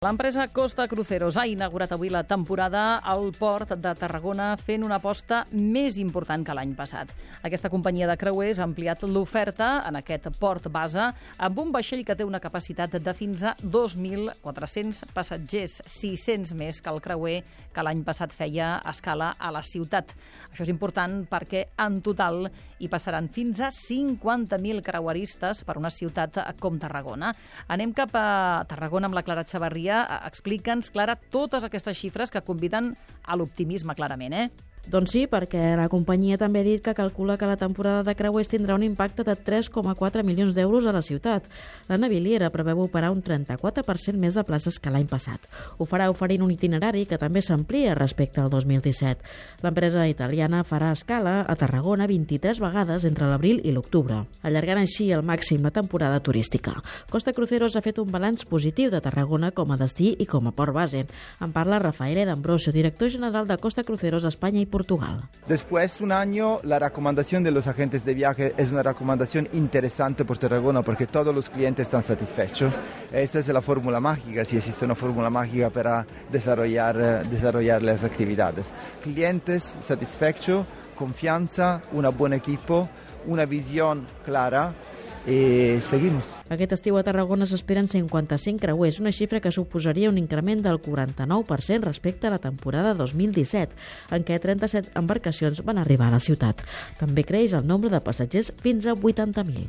L'empresa Costa Cruceros ha inaugurat avui la temporada al port de Tarragona fent una aposta més important que l'any passat. Aquesta companyia de creuers ha ampliat l'oferta en aquest port base amb un vaixell que té una capacitat de fins a 2.400 passatgers, 600 més que el creuer que l'any passat feia escala a la ciutat. Això és important perquè en total hi passaran fins a 50.000 creueristes per una ciutat com Tarragona. Anem cap a Tarragona amb la Clara Chavarria. Explica'ns, Clara, totes aquestes xifres que conviden a l'optimisme, clarament, Doncs sí, perquè la companyia també ha dit que calcula que la temporada de creuers tindrà un impacte de 3,4 milions d'euros a la ciutat. La naviliera preveu operar un 34% més de places que l'any passat. Ho farà oferint un itinerari que també s'amplia respecte al 2017. L'empresa italiana farà escala a Tarragona 23 vegades entre l'abril i l'octubre, allargant així al màxim la temporada turística. Costa Cruceros ha fet un balanç positiu de Tarragona com a destí i com a port base. En parla Rafael D'Ambrosio, director general de Costa Cruceros España y Portugal. Después de un año, la recomendación de los agentes de viaje es una recomendación interesante por Tarragona porque todos los clientes están satisfechos. Esta es la fórmula mágica, si existe una fórmula mágica para desarrollar las actividades. Clientes satisfechos, confianza, un buen equipo, una visión clara. Seguimos. Aquest estiu a Tarragona s'esperen 55 creuers, una xifra que suposaria un increment del 49% respecte a la temporada 2017, en què 37 embarcacions van arribar a la ciutat. També creix el nombre de passatgers fins a 80.000.